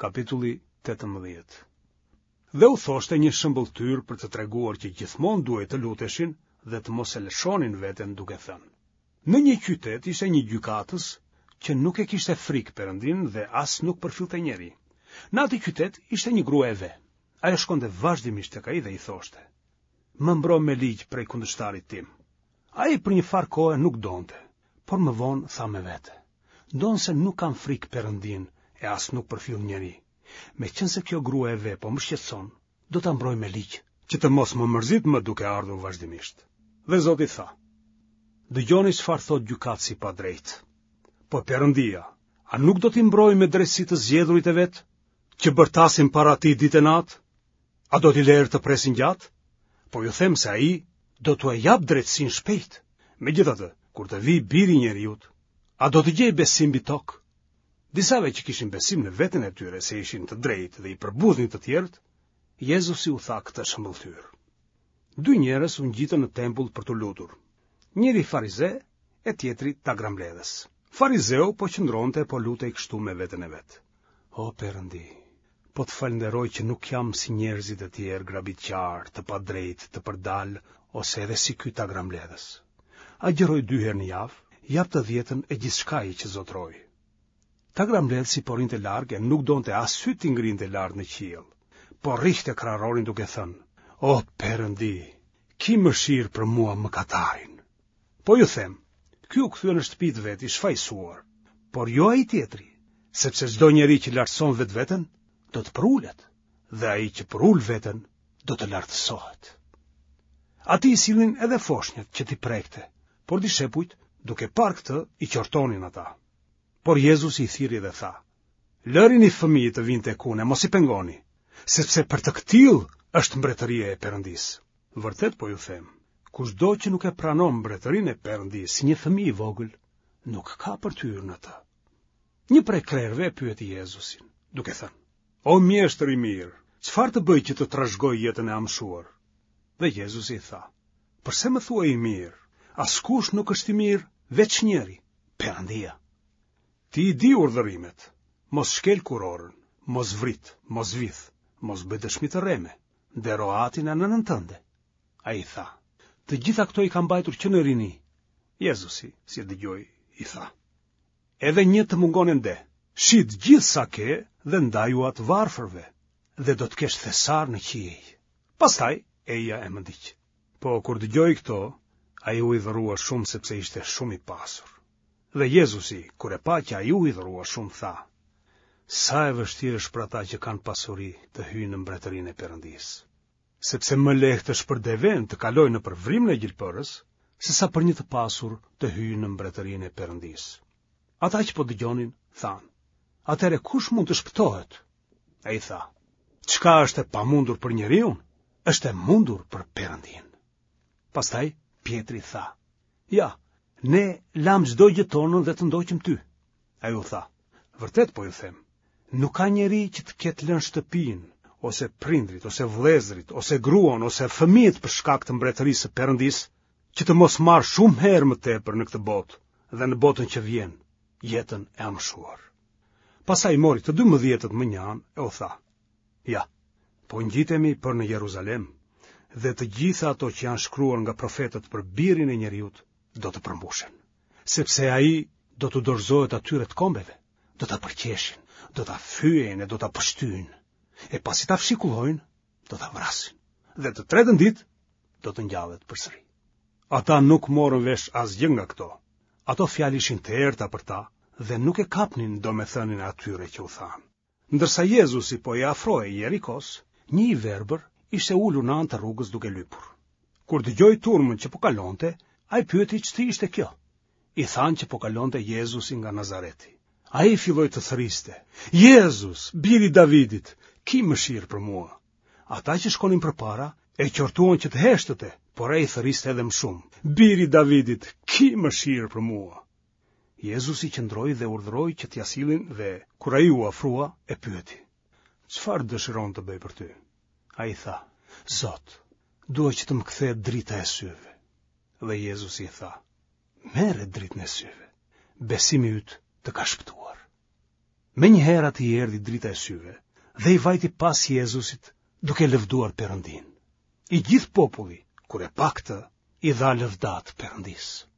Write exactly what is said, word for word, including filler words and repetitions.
Kapitulli tetëmbëdhjetë. Dhe u thoshte një shëmbëlltyrë për të treguar që gjithmonë duhej të luteshin dhe të mos e lëshonin veten duke thënë: Në një qytet ishte një gjykatës që nuk e kishte frikë Perëndinë dhe as nuk përfillte njeri. Në atë qytet ishte një grua e ve. Ajo shkonte vazhdimisht tek ai dhe i thoshte: Më mbro me ligj prej kundërshtarit tim. Ai për një farë kohe nuk donte, por më vonë tha me vete: Ndonëse nuk kam frikë Perëndinë e as nuk përfill njeri, meqenëse kjo grua e ve po më shqetëson, do ta mbroj me ligj, që të mos më mërzitë më duke ardhur vazhdimisht. Dhe Zoti tha: Dëgjoni çfarë thotë gjykatësi i padrejtë. Po Perëndia, a nuk do t'i mbrojë me drejtësi të zgjedhurit e vet, që bërtasin para tij ditë e natë? A do t'i lerë të presin gjatë? Po ju them se ai do t'ua japë drejtësinë shpejt. Megjithatë, kur të vijë biri i njeriut, a do të gjejë besim mbi tokë? Disave që kishin besim në veten e tyre se ishin të drejtë dhe i përbuznin të tjerët, Jezusi u tha këtë shëmbëlltyrë. Dy njerëz u ngjitën në tempull për t'u lutur. Njëri farize e tjetri tagrambledhës. Farizeu po qëndronte e po lutej kështu me veten e vet. O Perëndi, po të falënderoj që nuk jam si njerëzit e tjerë grabitqarë, të padrejtë, të përdalë ose edhe si ky tagrambledhës. Agjëroj dy herë në javë, jap të dhjetën e gjithçkaje që zotëroj. Tagrambledhësi po rrinte larg e nuk donte as sytë t'i ngrinte lart në qiell, por rrihte kraharorin duke thënë: O Perëndi, ki mëshirë për mua mëkatarin. Po ju them, ky u kthye në shtëpi të vet i shfajësuar, por jo ai tjetri, sepse çdo njeri që lartëson vetveten do të përulet, dhe ai që përul veten do të lartësohet. Atij i sillnin edhe foshnjat që t'i prekte, por dishepujt, duke parë këtë, i qortonin ata. Por Jezusi i thirri dhe tha: Lërini fëmijët të vijnë tek unë e mos i pengoni, sepse për të këtillë është mbretëria e Perëndisë. Vërtet po ju them, kushdo që nuk e pranon mbretërinë e Perëndisë si një fëmijë i vogël, nuk ka për të hyrë në të. Një prej krerëve e pyeti Jezusin, duke thënë: O mjeshtër i mirë, çfarë të bëj që të trashëgoj jetën e amshuar? Dhe Jezusi i tha: Përse më thua i mirë? Askush nuk është i mirë, veç njëri, Perëndia. Ti i di urdhërimet: mos shkel kurorën, mos vrit, mos vidh, mos bëj dëshmi të rreme, ndero atin e nënën tënde. Ai tha: Të gjitha këto i kam mbajtur që në rini. Jezusi, si e dëgjoi, i tha: Edhe një të mungon ende, shit gjithë sa ke dhe ndajua të varfërve, dhe do të kesh thesar në qiej. Pastaj eja e më ndiq. Po kur dëgjoi këto, ai u hidhërua shumë sepse ishte shumë i pasur. Dhe Jezusi, kur e pa që ai u hidhërua shumë, tha: Sa e vështirë është për ata që kanë pasuri të hyjnë në mbretërinë e Perëndisë. Sepse më lehtë është për devenë të kalojë nëpër vrimën e gjilpërës, sesa për një të pasur të hyjë në mbretërinë e Perëndisë. Ata që po dëgjonin, thanë: Atëherë kush mund të shpëtohet? Ai tha: Çka është e pamundur për njeriun, është e mundur për Perëndinë. Pastaj Pjetri tha: Ja, ne lamë çdo gjë tonën dhe të ndoqëm ty. Ai u tha: Vërtet po ju them, nuk ka njeri që të ketë lënë shtëpinë, ose prindrit, ose vëllezërit, ose gruan, ose fëmijët për shkak të mbretërisë së Perëndisë, që të mos marrë shumë herë më tepër në këtë botë dhe në botën që vjen, jetën e amshuar. Pastaj mori të dymbëdhjetët më një anë e u tha: Ja, po ngjitemi për në Jeruzalem, dhe të gjitha ato që janë shkruar nga profetët për birin e njeriut do të përmbushen, sepse ai do t'u dorëzohet atyre të kombeve, do ta përqeshin, do ta fyejnë e do ta pështyjnë, e pasi ta fshikullojnë, do ta vrasin, dhe të tretën ditë do të ngjallet përsëri. Ata nuk morën vesh asgjë nga këto. Ato fjalë ishin të errëta për ta dhe nuk e kapnin domethënien e atyre që u thanë. Ndërsa Jezusi po i afrohej Jerikos, një i verbër ishte ulur në anë të rrugës duke lypur. Kur dëgjoi turmën që po kalonte, ai pyeti ç'të ishte kjo. I thanë që po kalonte Jezusi nga Nazareti. Ai filloi të thriste: Jezus, biri i Davidit, ki mëshirë për mua. Ata që shkonin përpara e qortuan që të heshtëte, por ai thërriste edhe më shumë: Biri i Davidit, ki mëshirë për mua. Jezusi qëndroi dhe urdhëroi që t'ia sillin dhe, kur ai u afrua, e pyeti: Çfarë dëshiron të bëj për ty? Ai tha: Zot, dua që të më kthehet drita e syve. Dhe Jezusi i tha: Merre dritën e syve, besimi yt të ka shpëtuar. Menjëherë atij i erdhi drita e syve dhe i vajti pas Jezusit duke lëvduar Perëndinë. I gjithë populli, kur e pa këtë, i dha lëvdatë Perëndisë.